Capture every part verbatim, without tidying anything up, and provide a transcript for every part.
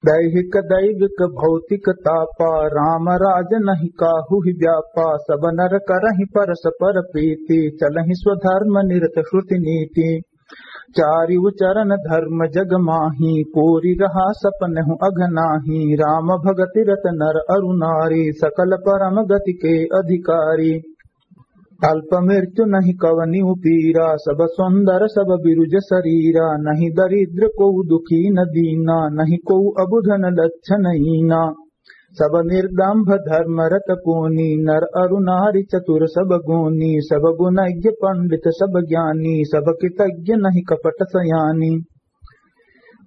दैहिक दैविक भौतिक तापा, राम राज नहीं काहू ही व्यापा। सब नर करहिं परस्पर प्रीति, चलहिं स्वधर्म निरत श्रुति नीति। चारिउ चरण धर्म जग माही, पूरि रहा सपनहु अघ नाही। राम भगति रत नर अरु नारी, सकल परम गति के अधिकारी। अल्प मृत्यु नहीं कवनिउ पीरा, सब सुंदर सब बिरुज सरीरा। नहीं दरिद्र कोउ दुखी न दीना, नहीं कोउ अबुध न लक्षण हीना। सब निर्दंभ धर्म रत पूनी, नर अरु नारी चतुर सब गुनी। सब गुणज्ञ पंडित सब ज्ञानी, सब कृतज्ञ नहीं कपट सयानी।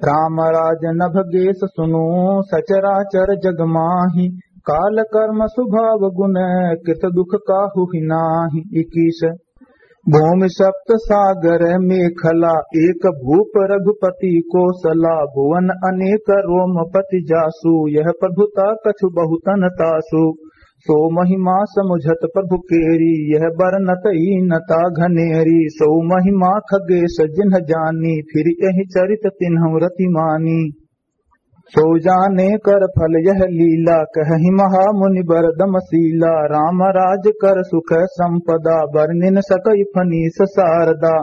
राम राज नभ गेस सुनो, सचराचर जग माही। काल कर्म स्वभाव गुण, कृत दुख काहू ही नाही। इक्कीस। भूमि सप्त सागर मेखला, एक भूप रघुपति कोसला। भुवन अनेक रोमपति जासु, यह प्रभुता कछु बहुतन तासु। सो महिमा समुझत प्रभु केरी, यह बरनत ईनता घनेरी। सो महिमा खगेश जिन्ह जानी, फिर एहि चरित तिन्हु रति मानी। सो जाने कर फल यह लीला, कहहिं महामुनि बरदम शीला। राम राज कर सुख संपदा, बरनिन सकइ फनीस सारदा।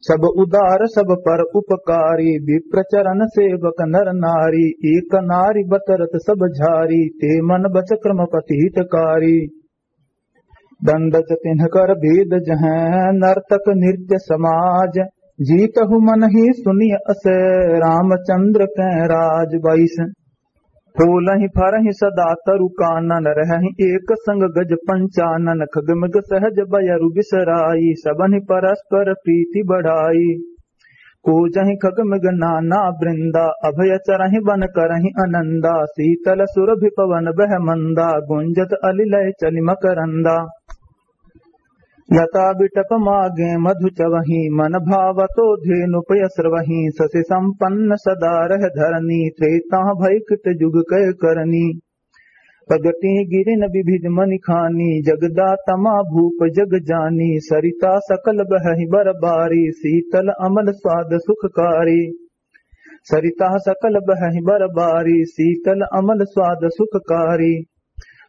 सब उदार सब पर उपकारी, विप्र चरण सेवक नर नारी। एक नारी बतरत सब झारी, ते मन बच क्रम पति हितकारी। दंडज तिन्ह कर भेद जहँ नर्तक नृत्य समाज, जीतहु मन ही सुनिय अस रामचंद्र कै राज। बाईस। फूलहिं फरहिं सदा तरु कानन, रहहिं एक संग गज पंचानन। खग मृग सहज बयरु बिसराई, सबहिं परस्पर प्रीति बढ़ाई। कूजहिं खग मृग नाना वृंदा, अभय चरहिं वन करहिं अनंदा। शीतल सुरभि पवन बह मंदा, गुंजत अलिलय चलि मकरंदा। लता बिटप मागें मधु चवहीं, मन भावतो धेनु पय स्रवहीं। शशि संपन्न सदा रह धरनी, त्रेता भय कृत जुग कय करनी। प्रगटी गिरिन विविध मनि खानी, जगदातमा भूप जग जानी। सरिता सकल बहहि बर बारी, शीतल अमल स्वाद सुखकारी। सरिता सकल बहहि बर बारी, शीतल अमल स्वाद सुखकारी।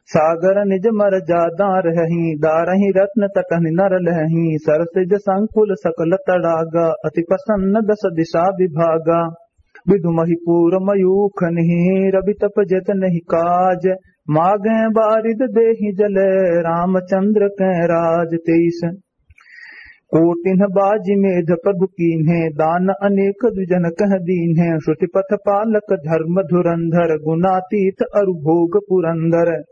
सागर निज मरजादा रहहीं, दारहिं रत्न तटहिं नर लहहीं। सरसिज संकुल सकल तड़ागा, अति प्रसन्न दस दिशा विभागा। विधु महीपुर मयूख निहि, रवि तप जतनहिं काज। मागें बारिद देहिं जल, रामचंद्र कै राज। तेईस। कोटिन्ह बाजि मेध प्रभु कीन्हे, दान अनेक द्विजन कह दीन्हे। श्रुति पथ पालक धर्म धुरंधर, गुणातीत अरु भोग पुरंदर।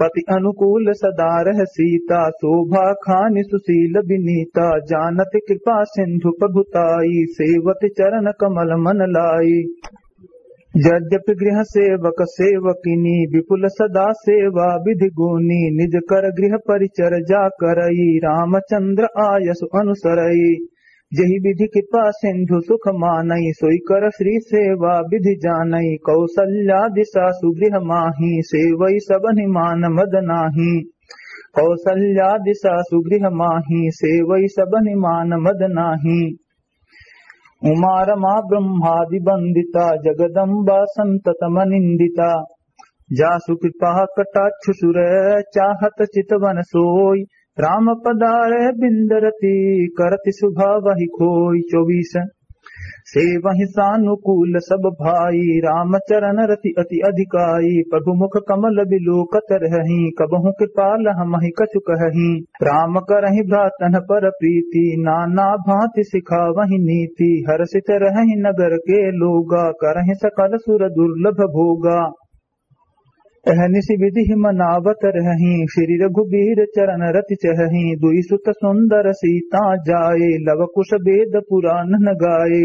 पति अनुकूल सदा रह सीता, शोभा खानि सुशील विनीता। जानत कृपा सिंधु प्रभु ताई, सेवत चरण कमल मन लाई। यद्यपि गृह सेवक सेवकिनी, विपुल सदा सेवा विधि गुनी। निज कर गृह परिचर जा करई, रामचंद्र आयसु अनुसरई। जेहि विधि कृपा सिंधु सुख मानई, सोई कर श्री सेवा विधि जानई। कौसल्या दिशा सुगृह माही, सेवई सबहिं मान मद नाही। कौसल्या दिशा सुगृह माही, सेवई सबहिं मान मद नाही। उमा रमा ब्रह्मादि वंदिता, जगदम्बा संतत मनिंदिता। जासु कृपा कटाक्ष सुर, चाहत चितवन सोई। राम पधारे बिंद रति, करति सुभावहि खोई। चौबीस। सेवहिं सानुकूल सब भाई, राम चरण रति अति अधिकाई। प्रभु मुख कमल बिलोकत रहहीं, कबहुँ कृपाल हमहिं कछु कहहीं। राम करहिं भ्रातन पर प्रीति, नाना भाँति सिखावहिं नीति। हरषित रहहिं नगर के लोगा, करहिं सकल सुर दुर्लभ भोगा। अहनिसि विधि मनावत रहहीं, श्री रघुबीर चरण रति चहहीं। दुइ सुत सुंदर सीता जाए, लव कुश वेद पुरान न गाए।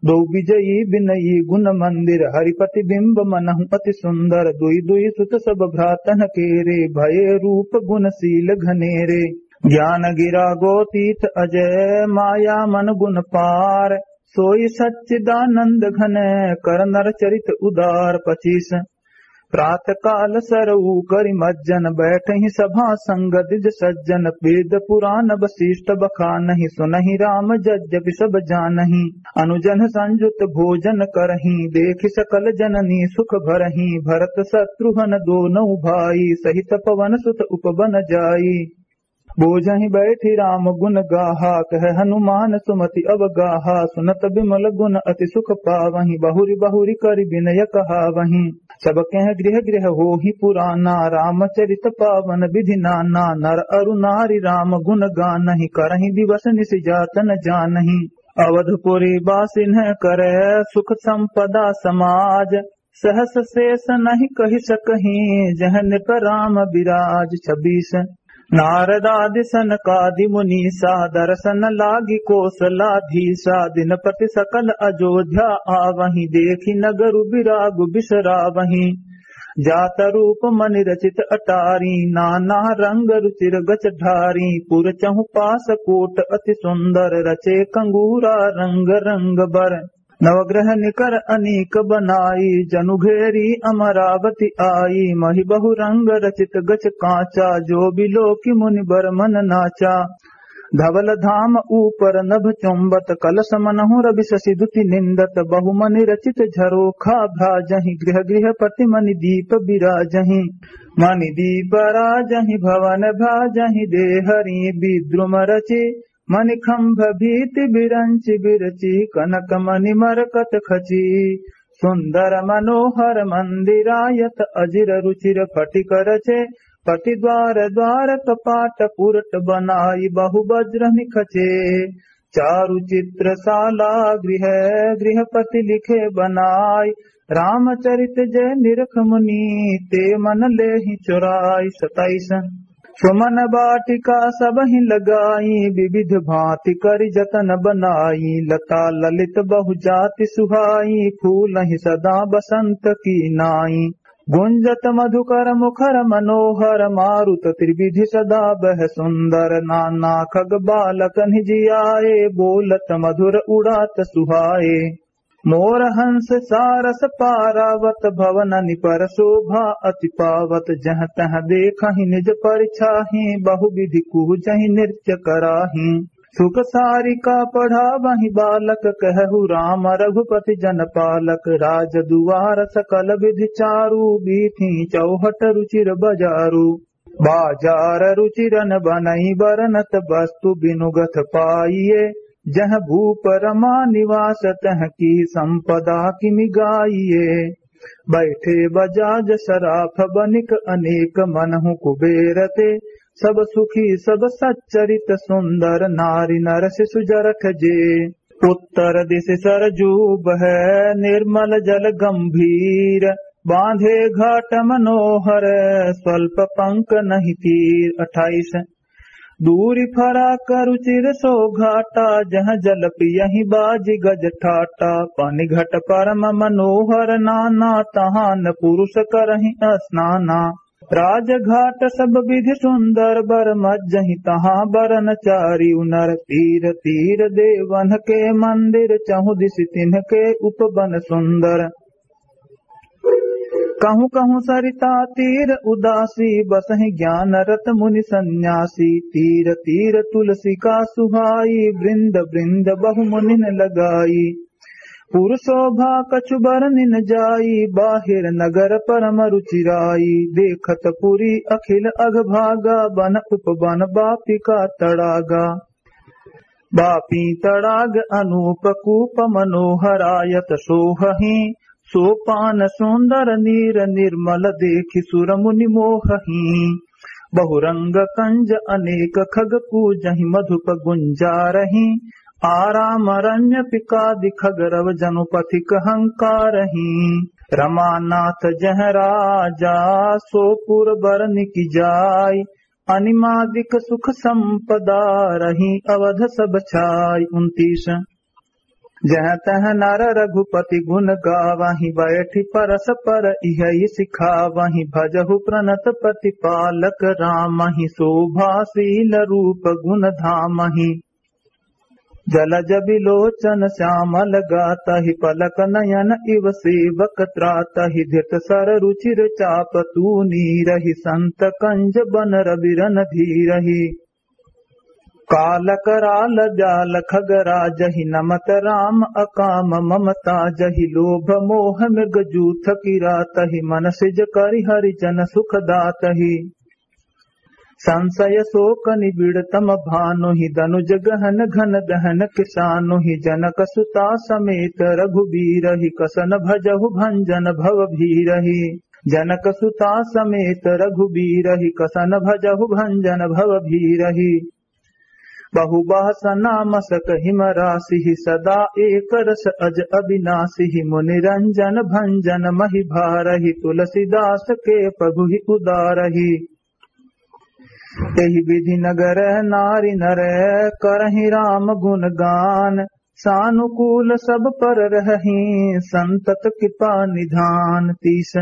दो विजयी विनयी गुण मंदिर, हरिपति बिंब मनहु अति सुंदर। दुइ दुइ सुत सब भ्रातन केरे, भये रूप गुण शील घनेरे। ज्ञान गिरा गोतीत अजय, माया मन गुण पार। सोई सच्चिदानंद घन, कर नर चरित उदार। पच्चीस। प्रात काल सरऊ करि मज्जन, बैठहि सभा संग द्विज सज्जन। वेद पुराण वशिष्ठ बखानहि, सुनहि राम यद्यपि सब जानहि। अनुजन संयुत भोजन करहि, देखि सकल जननी सुख भरहि। भरत शत्रुघ्न दोनउ भाई, सहित पवन सुत उपवन जाई। बोझहि बैठि राम गुन गाहा, कहे हनुमान सुमति अवगाहा। सुनत बिमल गुन अति सुख पावहि, बहुरि बहुरि करि बिनय कहावहि। सब कह गृह गृह होहि पुराना, रामचरित पावन विधि नाना। नर अरु नारी राम गुन गानहि, करहि दिवस निशि जात न जानहि। अवधपुरी बासिन्ह करे सुख संपदा समाज, सहस शेष नहि कहि सकहीं, जह नृप राम बिराज। छब्बीस। नारदादि सनकादि मुनीसा, दरसन लागि कोसलाधीसा। दिनपति सकल अयोध्या आवहीं, देखि नगरु बिरागु बिसरावहीं। जात रूप मनि रचित अटारी, नाना रंग रुचिर गच ढारी। पुर चहुपास कोट अति सुंदर, रचे कंगूरा रंग रंग बर। नवग्रह निकर अनेक बनाई, जनु घेरी अमरावती आई। महि बहु रंग रचित गच कांचा, जो बिलोकि मुनि बर मन नाचा। धवल धाम ऊपर नभ चुंबत, कलश मनहु रवि शशि दुति निंदत। बहु मनि रचित झरोखा भ्राजहि, गृह गृह पति मनि दीप बिराजहि। मनि दीप राजहि भवन भ्राजहि, देहरी विद्रुम रचि मणिखंभ भीति बिरंचि बिरचि, कनक मणि मरकत खची। सुंदर मनोहर मंदिरायत, अजिर रुचिर फटिक रचे। पटि द्वार द्वार कपाट पुरट बनाई, बहु वज्र निखचे। चारु चित्र साला गृह, गृहपति लिखे बनाई। रामचरित जे निरख मुनि, ते मन लेहि चोराई। सताइस। सुमन बाटिका सबहि लगाई, विविध भांति करि जतन बनाई। लता ललित बहु जाति सुहाई, फूलहि सदा बसंत की नाई। गुंजत मधुकर मुखर मनोहर, मारुत त्रिविधि सदा बह सुंदर। नाना खग बालक निज आए, बोलत मधुर उड़ात सुहाए। मोर हंस सारस पारावत, भवननि पर शोभा अति पावत। जह तह देखहि निज परिछाही, बहु विधि कुहजहि नृत्य कराही। सुख सारिका पढ़ावहि बालक, कहु राम रघुपति जन पालक। राज दुआर सकल विधि चारु, बीथि चौहट रुचिर बजारु। बाजार रुचिरन बनई बरनत, वस्तु बिनु गथ पाइए। जह भूप रमा निवास, तह की संपदा किमि गाइए। बैठे बजाज सराफ बनिक, अनेक मनहु कुबेर ते। सब सुखी सब सच्चरित सुंदर, नारी नर शिशु जरख जे। उत्तर दिशि सरजू बहै, निर्मल जल गंभीर। बांधे घाट मनोहर, स्वल्प पंक नहीं तीर। अट्ठाईस। दूरि फराक रुचिर सो घाटा, जह जल पियहि बाजि गज ठाटा। पानि घट परम मनोहर नाना, तहान पुरुष करहिं स्नाना। राजघाट सब विधि सुंदर, बर मज्जहि तहाँ बरन चारिउ नर। तीर तीर देवन के मंदिर, चहुदिसि तिन्ह के उपवन सुंदर। कहूँ कहूँ सरिता तीर उदासी, बसहि ज्ञान रत मुनि सन्यासी। तीर तीर तुलसी का सुहाई, वृंद वृंद बहु मुनिन लगाई। पुर शोभा कछु बरनिन जाई, बाहिर नगर परम रुचिराई। देखत पुरी अखिल अघभागा, वन उपवन बापिका तड़ागा। बापी तड़ाग अनूप कूप, मनोहरायत सोहहि। सोपान सुंदर नीर निर्मल, देखि सुर मुनि मोहहि। बहुरंग कंज अनेक खग, कूजहि मधुप गुंजारहि। आराम रण्य पिकादि खग, रव जनु पथिक हंकारहि। रमानाथ जह राजा, सो पुर बरनिक जाय। अनिमादिक सुख संपदा, रही अवध सब छाय। उनतीस। जह तह नर रघुपति गुण गावहि, बैठि परस पर इहइ सिखावहि। भजहु प्रणत प्रतिपालक रामहि, शोभाशील रूप गुण धामहि। जलज बिलोचन श्यामल गातहि, पलक नयन इव सेवक त्रातहि। धृत सर रुचिर चाप तूनीरहि, संत कंज बन रवि रणधीरहि। काल कराल जाल खगराजहि, नमत राम अकाम ममता जहि। लोभ मोह मृग जूथ किरातहि, मन सिज करि हरिजन सुख दातहि। संसय सोक निबिड़तम भानुहि, दनुज गहन घन दहन किसानुहि। जनक सुता समेत रघुबीरहि, कसन भजहु भंजन भव भीरहि। जनक सुता समेत रघुबीरहि, कसन भजहु भंजन भव भीरहि। बहु बासना मसक हिम रासिहि, सदा एक रस अज अविनासिहि। मुनि रंजन भंजन महि भारहि, तुलसीदास के प्रभुहि उदारहि। एहि विधि नगर नारि नर, करहि राम गुण गान। सानुकूल सब पर रहहि, संतत कृपा निधान। तीस।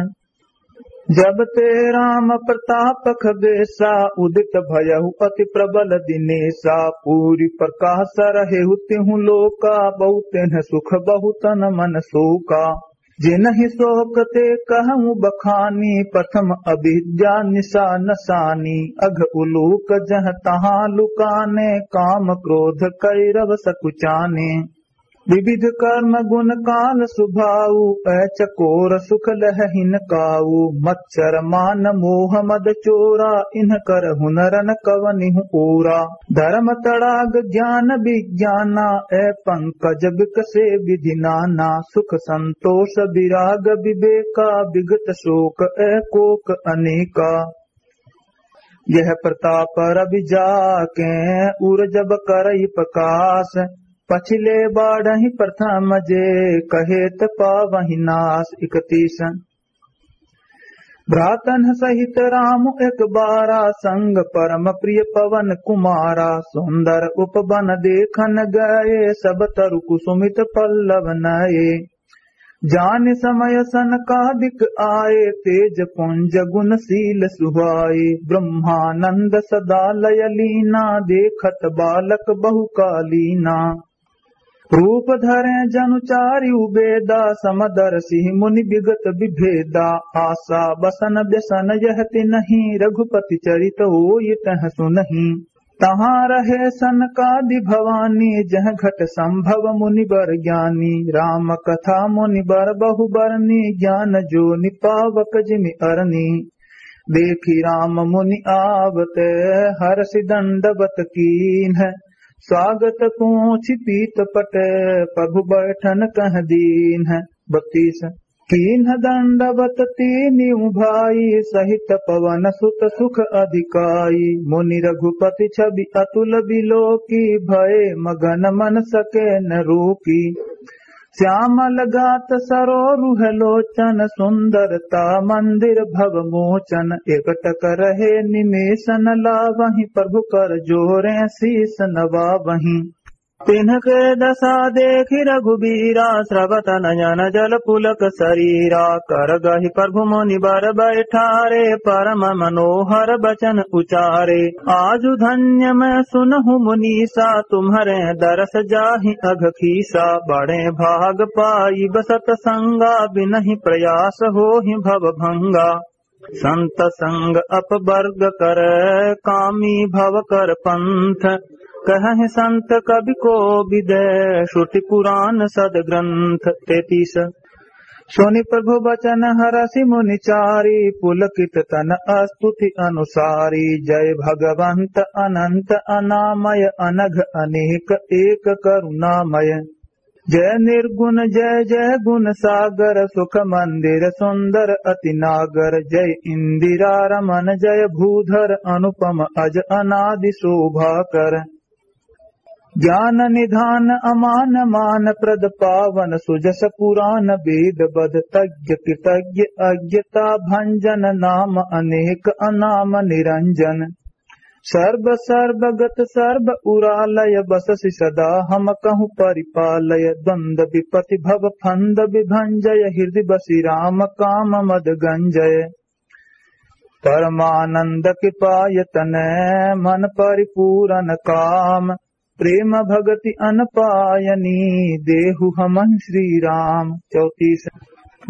जब ते राम प्रताप खगेसा, उदित भयहु अति प्रबल दिनेसा। पूरि प्रकाश रहेहु तिहु लोका, बहु तिन्ह सुख बहु तन मन सोका। जिनहि सोक ते कहउँ बखानी, प्रथम अविद्या निशा नसानी। अघ उलूक जह तहाँ लुकाने, काम क्रोध कैरव सकुचाने। विविध कर्म गुण काल सुभाऊ, ऐ चकोर सुख लहहिन काऊ। मच्छर मान मोह मद चोरा, इन्ह करहु न रन कवनिहु ओरा। धर्म तड़ाग ज्ञान विज्ञाना, ऐ पंकज बिकसे विधि नाना। सुख संतोष विराग विवेका, विगत शोक ऐ कोक अनेका। यह प्रताप रवि जाके, उर जब करई प्रकाश। पछिले बाढ़हि प्रथम जे, कहेत पावहि नाश। इकतीस। भ्रातन सहित राम एक बारा, संग परम प्रिय पवन कुमारा। सुंदर उपवन देखन गए, सब तरु कुसुमित पल्लव नए। जानि समय सनकादिक आए, तेज पुंज गुण शील सुहाए। ब्रह्मानंद सदा लय लीना, देखत बालक बहु कालीना। रूप धरे जनु चारि उबेदा, समदर्शी मुनि विगत विभेदा। आशा बसन व्यसन यह तिनहि, रघुपति चरित होई तह सुनहि। तहाँ रहे सनकादि भवानी, जह घट संभव मुनि बर ज्ञानी। राम कथा मुनि बर बहु बरनी, ज्ञान जोनि पावक जिमि अरनी। देखि राम मुनि आवत, हरषि दंडवत कीन्ह। स्वागत पूछि पीत पट, प्रभु बैठन कह दीन्ह। बत्तीस। कीन्ह दंडवत तीनिउ भाई, सहित पवन सुत सुख अधिकाई। मुनि रघुपति छवि अतुल बिलोकी, भए मगन मन सके न रोकी। श्यामल गात सरोरुह लोचन, सुंदरता मंदिर भव मोचन। एकटक रहे निमेष न लावहीं, प्रभु कर जोरे शीस नवावहीं। तिन्हके दशा देखि रघुबीरा, स्रवत नयन जल पुलक सरीरा। करगहि प्रभु मुनि बर बैठारे, परम मनोहर बचन उचारे। आजु धन्य मैं सुनहु मुनीसा, तुम्हरे दरस जाहि अघ खीसा। बड़े भाग पाइब सत संगा, बिनहि प्रयास होहि भव भंगा। संत संग अपवर्ग कर, कामी भव कर पंथ। कहहि संत कवि कोविद, श्रुति पुराण सद ग्रंथ। तैंतीस। सुनि प्रभु बचन हरषि मुनि चारी, पुलकित तन अस्तुति अनुसारी। जय भगवंत अनंत अनामय, अनघ अनेक एक करुणामय। जय निर्गुण जय जय गुण सागर, सुख मंदिर सुंदर अति नागर। जय इंदिरा रमन जय भूधर, अनुपम अज अनादि शोभाकर। ज्ञान निधान अमान मान प्रद, पावन सुजस पुराण वेद बद। तज्ञ कृतज्ञ अज्ञता भंजन, नाम अनेक अनाम निरंजन। सर्व सर्वगत सर्व उरालय, बससि सदा हम कहु परिपालय। द्वंद विपति भव फंद विभंजय, हृदि बसि राम काम मद गंजय। परमानंद कृपायतन मन परिपूरन काम। प्रेम भगति अन पायनी, देहु हमहि श्री राम। चौतीस।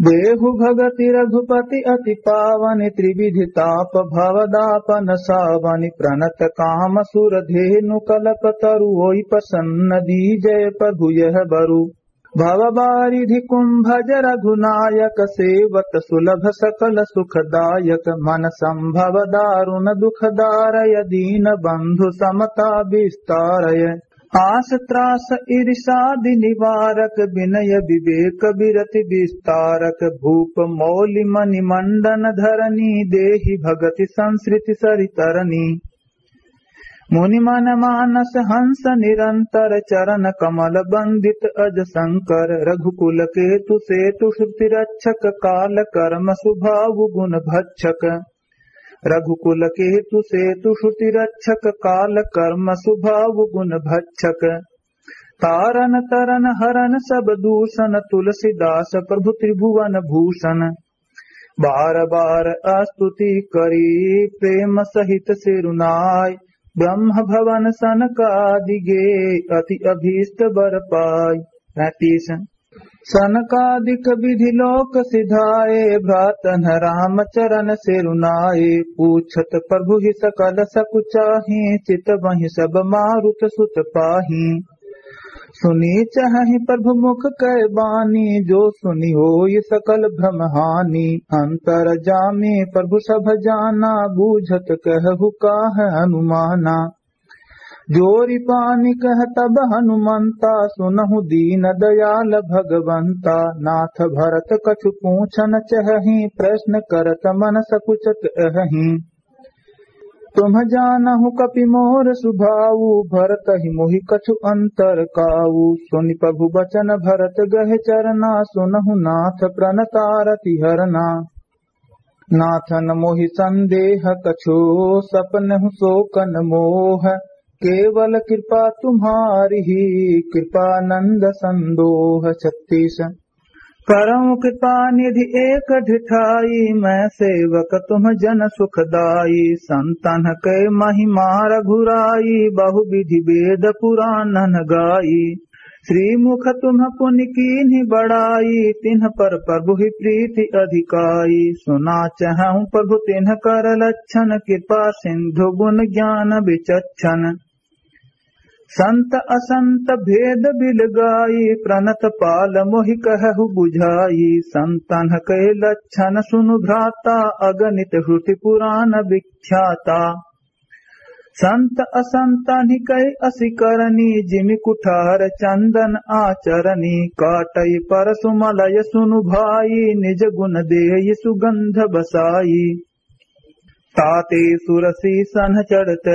देहु भगति रघुपति अति पावनि, त्रिविधि ताप भव दापन सावनि। प्रणत काम सुर धेनु कलप तरु, ओइ प्रसन्न दीजै प्रभु यह बरु। भव बारिधि कुंभज रघुनायक, सेवत सुलभ सकल सुखदायक। मन संभव दारुण दुख दारय, दीन बंधु समता विस्तारय। आस त्रास ईर्षादि निवारक, विनय विवेक विरति विस्तारक। भूप मौलि मणि मंडन धरनी, देहि भगति संसृति सरितरनी। मुनि मन मानस हंस निरंतर, चरण कमल बंदित अज शंकर। रघुकुल केतु सेतु श्रुति रक्षक, काल कर्म सुभाव गुण भक्षक। रघुकुल केतु सेतु श्रुति रक्षक, काल कर्म सुभाव गुण भक्षक। तारन तरन हरन सब दूषण, तुलसीदास प्रभु त्रिभुवन भूषण। बार बार स्तुति करी प्रेम सहित सिरुनाय, ब्रह्म भवन सनकादि गे अति अभीष्ट बर पाय। पैंतीस। सनकादिक विधि लोक सिधाए, भ्रातन राम चरण सिरुनाए। पूछत प्रभु ही सकल सकुचाही, चितवहिं सब मारुत सुत पाही। सुनी चहहि प्रभु मुख कै बानी, जो सुनि होई सकल भ्रम हानि। अंतरजामी प्रभु सब जाना, बूझत कहहु काह अनुमाना। जोरि पानि कह तब हनुमंता, सुनहु दीन दयाल भगवंता। नाथ भरत कछु पूछन चहहि, प्रश्न करत मन सकुचत अहहि। तुम जानहु कपि मोर सुभाऊ, भरत ही मोहि कछु अंतर काऊ। सुनि प्रभु बचन भरत गहे चरना, सुनहु नाथ प्रणत आरति हरना। नाथन मोहि संदेह कछु, सपनहु सोकन मोह। केवल कृपा तुम्हारी ही, कृपानंद संदोह। छत्तीस। करहु कृपा निधि एक ढिठाई, मैं सेवक तुम जन सुखदाई। संतन के महिमा रघुराई, बहु विधि वेद पुराणन गाई। श्रीमुख तुम पुनि कीन्हि बड़ाई, तिन्ह पर प्रभु ही प्रीति अधिकाई। सुना चहहु प्रभु तिन्ह कर लक्षण, कृपा सिंधु गुण ज्ञान विचक्षण। संत असंत भेद बिलगाई, प्रणत पाल मोहि कहहु बुझाई। संतन के लक्षण सुनु भ्राता, अगणित श्रुति पुराण विख्याता। संत असंतनि कै असी करनी, जिमि कुठार चंदन आचरनी। काटइ परसु मलय सुनु भाई, निज गुण देइ सुगंध बसाई। ताते सुरसी सन्ह चढ़त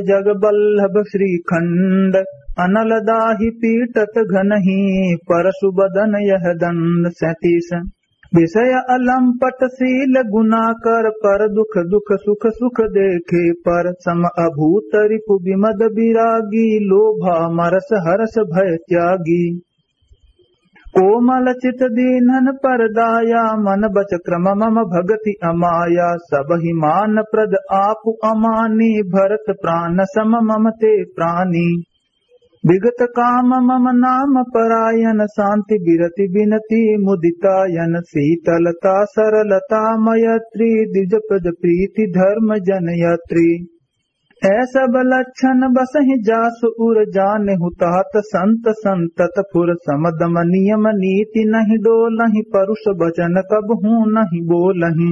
जग बल्लभ श्रीखंड। अनल दाहि पीटत घनही परसु बदन यह दंड। सैंतीस। विषय अलंपट शील गुनाकर पर दुख दुख सुख सुख देखे पर। सम अभूत रिपु विमद विरागी लोभा मरस हरस भय त्यागी। कोमल चित दीन्हन पर दाया, मन बच क्रम मम भगति अमाया। सबहि मान प्रद आपु अमानी, भरत प्रान सम मम ते प्रानी। विगत काम मम नाम परायन, शांति विरति विनती मुदितायन। शीतलता सरलता मैत्री, द्विज प्रज प्रीति धर्म जन यात्री। ऐ सब लक्षण बसहि जासु उर, जानेहु तात संत संतत फुर। समदम नियम नीति नहि डोलहि, परुष वचन कबहूँ नहि बोलहि।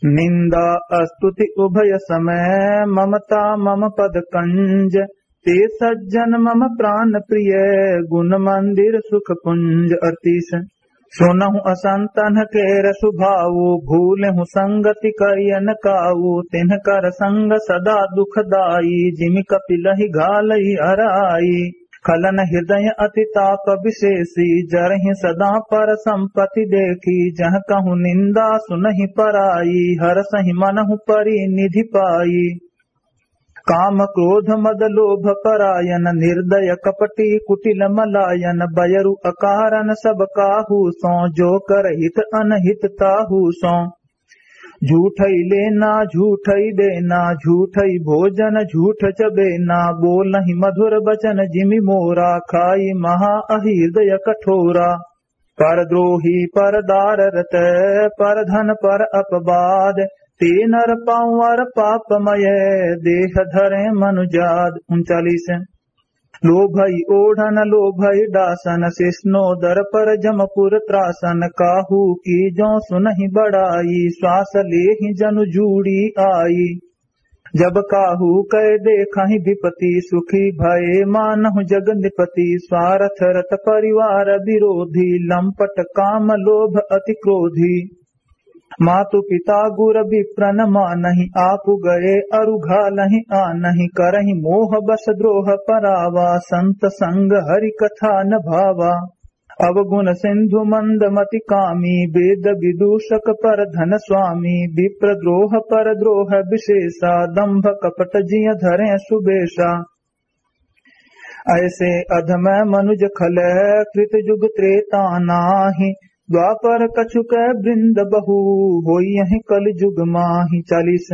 निंदा स्तुति उभय समय, ममता मम पद कंज। ते सज्जन मम प्रान प्रिय, गुण मंदिर सुख पुंज। अड़तीस। सुनहु असंतन केर सुभाऊ, भूलहु संगति करियन काऊ। तिनकर संग सदा दुखदाई, जिमि कपि लहि घालइ अराई। खलन हृदय अति ताप विशेषी, जरहिं सदा पर संपति देखी। जहँ कहूँ निंदा सुनहिं पराई, हरसहिं मनहु परि निधि पाई। काम क्रोध मद लोभ परायन, निर्दय कपटी कुटिल मलायन। बयरु अकारन सब काहू सों, जो कर हित अनहित ताहू सों। झूठई लेना, झूठई देना, झूठई भोजन, झूठ चबेना। बोलहि मधुर बचन जिमि मोरा, खाई महा अहिरदय कठोरा। परद्रोही परदार रत, परधन पर अपवाद। ते नर पाँवर पापमय, देह धरे मनुजाद। उनचालीस। लोभई ओढ़न लोभई डासन, सिसनोदर पर जमपुर त्रासन। काहू की जो सुनहि बड़ाई, श्वास लेहि जनु जूड़ी आई। जब काहू कै देखहि विपति, सुखी भए मानहु जग नृपति। स्वारथ रत परिवार विरोधी, लंपट काम लोभ अति क्रोधी। मातु पिता गुर विप्रन मानहि, आपु गए अरु घालहि आनहि। करहि मोह बस द्रोह परावा, संत संग हरि कथा न भावा। अवगुण सिंधु मंद मति कामी, वेद विदूषक परधन स्वामी। विप्र द्रोह परद्रोह विशेषा, दंभ कपट जिय धरे सुबेशा। ऐसे अधम मनुज खल, कृत युग त्रेता नाही। द्वापर कछुक वृंद बहु, होइहैं कल युग माही। चालीस।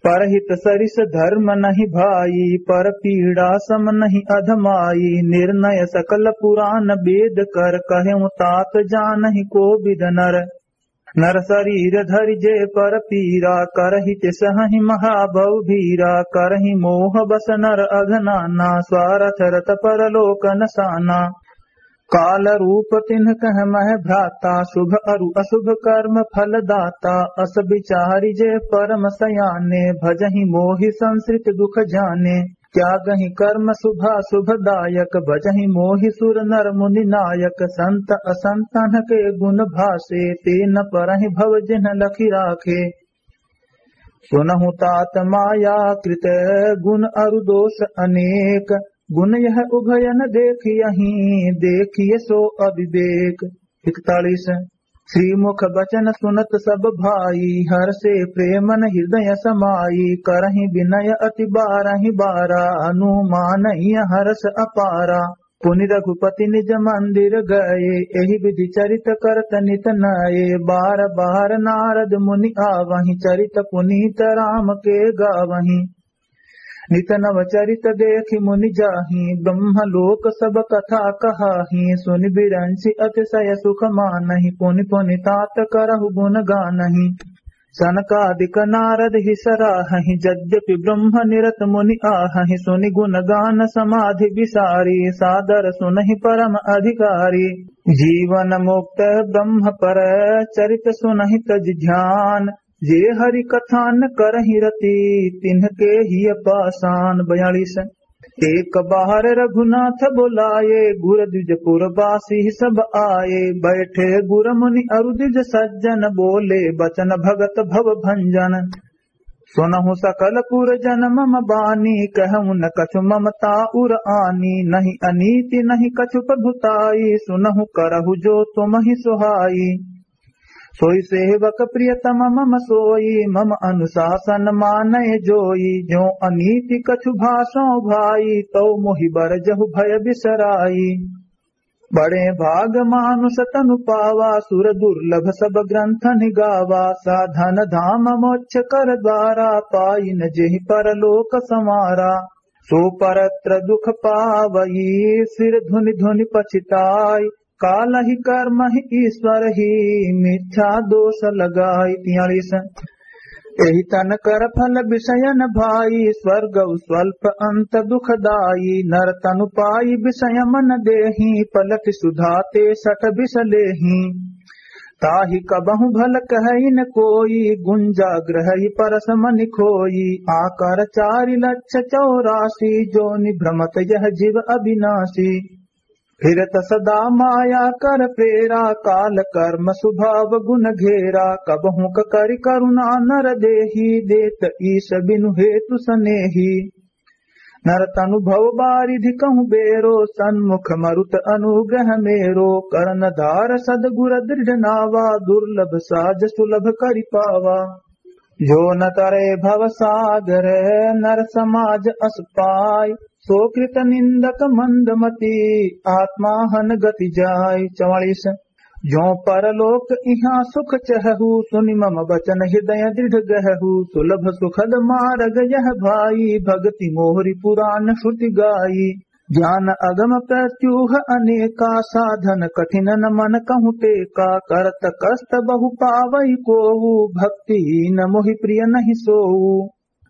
परहित सरिस धर्म नहीं भाई, पर पीड़ा सम नहीं अधमाई। निर्णय सकल पुराण वेद कर, कहेउ तात जानहि कोविद नर। नर सरीर धरि जे पर पीरा, करहि तिसहहि महाभव भीरा। करहि मोह बस नर अघ नाना, स्वारथ रत परलोक न साना। काल रूप तिन्ह कह मह भ्राता, शुभ अरु अशुभ कर्म फल दाता। अस बिचारि जे परम सयाने, भजहि मोहि संसृत दुख जाने। त्यागहि कर्म शुभाशुभ दायक, भजहि मोहि सुर नर मुनि नायक। संत असंतन के गुण भाषे, ते न परहि भव जिन्ह लखि राखे। सुनहु तात माया कृत गुण अरु दोष अनेक, गुण यह उभयन देखियहि, देखिय सो अविवेक। इकतालीस। श्रीमुख बचन सुनत सब भाई, हर्षे प्रेमन हृदय समाई। करहि विनय अति बारहि बारा, अनुमानहिय हर्ष अपारा। पुनि रघुपति निज मंदिर गए, एहि विधि चरित करत नित नए। बार बार नारद मुनि आवहि, चरित पुनीत राम के गावहि। नित नव चरित देखि मुनि जाहि, ब्रह्म लोक सब कथा कहाहि। सुनि बिरंचि अतिशय सुख मानहि, पुनि पुनि तात करहु गुण गानहि। सनकादिक नारद ही सराहहि, यद्यपि ब्रह्म निरत मुनि आहहि। सुनि गुण गान समाधि बिसारी, सादर सुनहि परम अधिकारी। जीवन मुक्त ब्रह्म पर चरित सुनहि तजि ध्यान, जे हरि कथा न करहि रति, तिन्हके हिय पासान। बयालीस। एक बार रघुनाथ बोलाए, गुर द्विजपुर बासी सब आए। बैठे गुर मुनि अरु द्विज सज्जन, बोले बचन भगत भव भंजन। सुनहु सकल पुर जन मम बानी, कहु न कछु ममता उर आनी। नहीं अनीति नहीं कछु प्रभुताई, सुनहु करहु जो तुमहि सुहाई। सोई सेवक प्रियतम मम सोई, मम अनुशासन मानय जोई। जो अनीति कछु भाषौ भाई, तौ मोहि बरजहु भय बिसराई। बड़े भाग मानुष तनु पावा, सुर दुर्लभ सब ग्रंथन गावा। साधन धाम मोक्ष कर द्वारा, पाइन जेहि परलोक संवारा। सो परत्र दुख पावई, सिर धुनि धुनि पछिताई। कालहि कर्महि ईश्वरहि, मिथ्या दोष लगाई। तियालीस। एहि तन कर फल विषयन भाई, स्वर्ग स्वल्प अंत दुखदाई। नर तनु पाई विषय मन देहि, पलटि सुधा तेसठ विष लेहि। ताहि कबहु भल कहइ न कोई, गुंजा ग्रहइ परस मनि खोई। आकर चारि लक्ष चौरासी, जोनि भ्रमत यह जीव अविनाशी। फिरत सदा माया कर प्रेरा, काल कर्म स्वभाव गुण घेरा। कबहुँक करि करुणा नर देहि, देत ईश बिनु हेतु सनेहि। नर तनु भव बारिधि कहु बेरो, सन्मुख मरुत अनुग्रह मेरो। कर्णधार सद्गुर दृढ़ नावा, दुर्लभ साज सुलभ करि पावा। जो न तरे भव सागर नर समाज अस पाय, सो कृत निंदक मंद मति आत्मा हन गति जाय। चवालीस। जो परलोक इहाँ सुख चहहु, सुनि मम बचन हृदय दृढ़ गहहु। सुलभ सुखद मारग यह भाई, भगति मोहरि पुरान श्रुति गाई। ज्ञान अगम प्रत्यूह अनेका, साधन कठिन न मन कहूँ टेका। करत कष्ट बहु पावइ कोऊ, भक्तिहीन मोहि प्रिय नहीं सोऊ।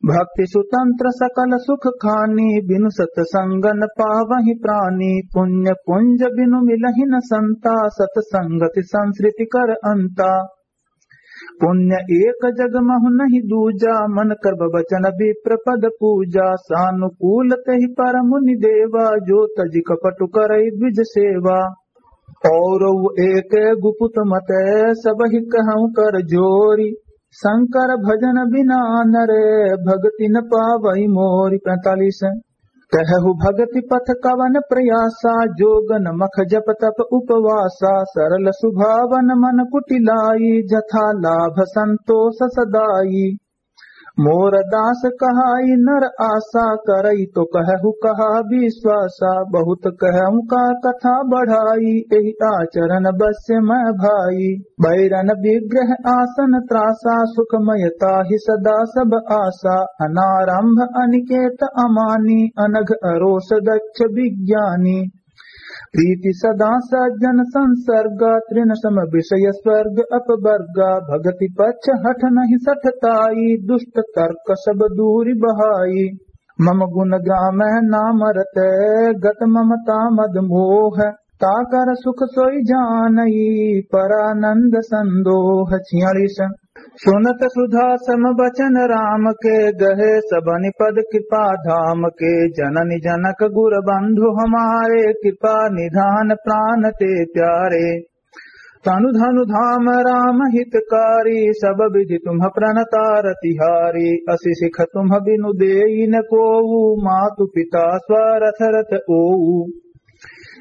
भक्ति सुतंत्र सकल सुख खानी, बिनु सतसंग न पावहि प्रानी। पुण्य पुंज बिनु मिलहि न संता, सतसंगति संसृति कर अंता। पुण्य एक जग महु नहीं दूजा, मन कर्म वचन विप्र पद पूजा। सानुकूल तेहि पर मुनि देवा, जो तजि कपट करइ द्विज सेवा। और एक गुपुत मत सबहि कहूँ कर जोरी, शंकर भजन बिना नर भगति न पावइ मोरी। पैंतालीस। कहहु भगति पथ कवन प्रयासा, जोगन मख जप तप उपवासा। सरल सुभावन मन कुटिलाई, जथा लाभ संतोष सदाई। मोर दास कहाई नर आसा, करई तो कहहु कहा विश्वासा। बहुत कहूँ का कथा बढ़ाई, एहि आचरण बस मैं भाई। बैरन विग्रह आसन त्रासा, सुखमय ताहि सदा सब आसा। अनारंभ अनिकेत अमानी, अनघ अरोस दक्ष विज्ञानी। प्रीति सदा सज्जन संसर्गा, तृण सम विषय स्वर्ग अपवर्गा। भगति पच्छ हठ नहीं सठ ताई, दुष्ट तर्क सब दूरि बहाई। मम गुण गाम नाम रत, गत ममता मद मोह। ताकर सुख सोई जानई, परानंद संदोह। छियालीस। सुनत सुधा सम बचन राम के, गहे सबनि पद कृपा धाम के। जननि जनक गुर बंधु हमारे, कृपा निधान प्रान ते प्यारे। तनु धनु धाम राम हितकारी, सब विधि तुम्ह प्रणता रतिहारी। असि सिख तुम्ह बिनु देई न कोऊ, मातु पिता स्वारथ रत ओऊ।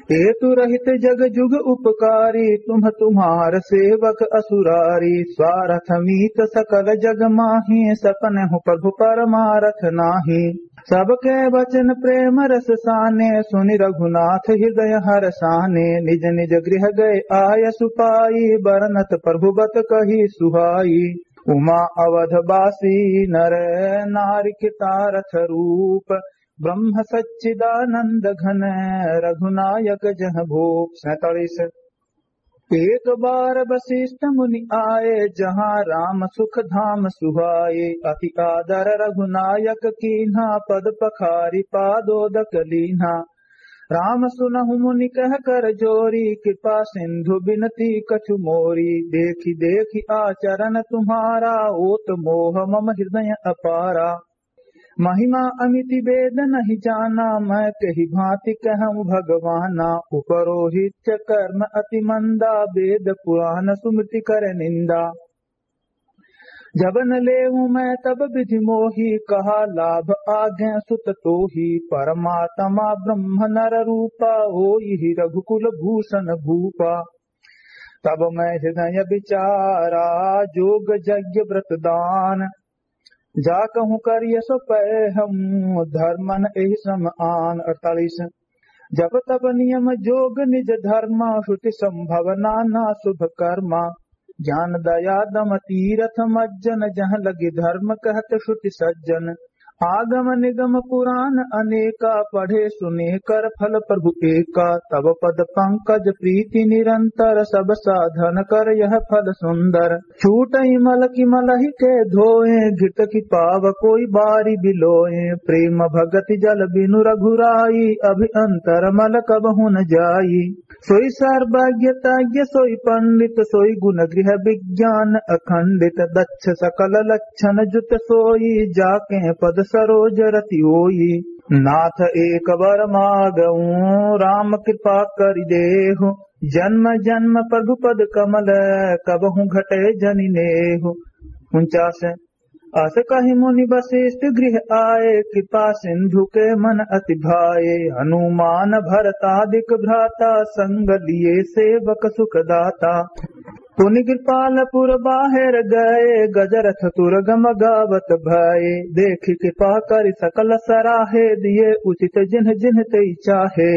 हेतु रहित जग जुग उपकारी, तुम्ह तुम्हार सेवक असुरारी। स्वारथ मीत सकल जग माही, सपनहु प्रभु परमारथ नाही। सबके वचन प्रेम रस साने, सुनि रघुनाथ हृदय हरसाने। निज निज गृह गए आयसु पाई, बरनत प्रभु बत कही सुहाई। उमा अवध बासी नर नारि कृतारथ रूप, ब्रह्म सच्चिदानंद घन रघुनायक जह भूप। सैंतालीस। एक बार वशिष्ठ मुनि आए, जहाँ राम सुख धाम सुहाए। अति आदर रघुनायक कीन्हा, पद पखारि पादोदक लीन्हा। राम सुनहु मुनि कह कर जोरी, कृपा सिंधु बिनती कछु मोरी। देखि देखि आचरण तुम्हारा, ओत मोह मम हृदय अपारा। महिमा अमिति वेद नहीं जाना, मैं कही भांति कहूँ भगवाना। उपरोहित कर्म अति मंदा, वेद पुराण सुमृति कर निंदा। जब न लेऊं मैं तब विधि मोही, कहा लाभ आगे सुत तोही। परमात्मा ब्रह्म नर रूपा, होई ही रघुकुल भूषण भूपा। तब मैं हृदय विचारा, जोग यज्ञ व्रत दान। जा कहूँ करिय सो पै हम, धर्मन एहि सम आन। अड़तालीस। जप तप नियम जोग निज धर्मा, श्रुति संभव नाना शुभ कर्मा। ज्ञान दया दम तीरथ मज्जन, जहाँ लगे धर्म कहत श्रुति सज्जन। आगम निगम पुराण अनेका, पढ़े सुने कर फल प्रभु एका। तब पद पंकज प्रीति निरंतर, सब साधन कर यह फल सुंदर। छूटइ मल कि मलहि के धोए, घृत कि पाव कोई बारी बिलोए। प्रेम भगति जल बिनु रघुराई, अभि अंतर मल कबहु न जाई। सोई सर्वज्ञ तज्ञ सोई पंडित, सोई गुण गृह विज्ञान अखंडित। दक्ष सकल लक्षण जुत सोई, जाके पद सरोज रति होई। नाथ एक वर मागऊं, राम कृपा करि देहु। जन्म जन्म प्रभु पद कमल, कबहु घटे जनि नेहु। उनचास। अस कहि मुनि वशिष्ठ गृह आए, कृपा सिंधु के मन अति भाए। हनुमान भरतादिक भ्राता, संग लिए सेवक सुखदाता। पुनि कृपालपुर बाहेर गए, गजरथ तुरगम गावत भए। देखि कृपा करि सकल सराहे, दिए उचित जिन्ह जिन्ह तेहि चाहे।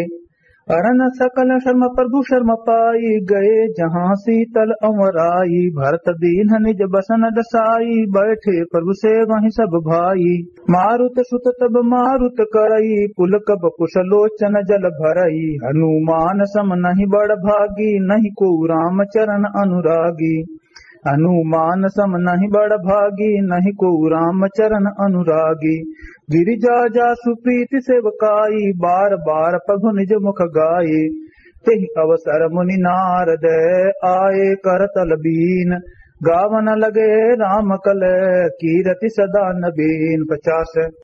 अरन सकल शर्म प्रभु शर्म पाई, गए जहाँ शीतल अँवराई। भरत दीन्ह निज बसन डसाई, बैठे प्रभु सेवहिं सब भाई। मारुत सुत तब मारुत करई, पुलक बकुस लोचन जल भरई। हनुमान सम नहीं बड़ भागी, नहीं को राम चरण अनुरागी। हनुमान सम नहीं बड़ भागी, नहीं को राम चरण अनुरागी। गिरिजा जासु प्रीति सेवकाई, बार बार प्रभु निज मुख गाई। तेहि अवसर मुनि नारद आए करतल बीन, गावन लगे राम कल कीरति सदा नबीन। पचास।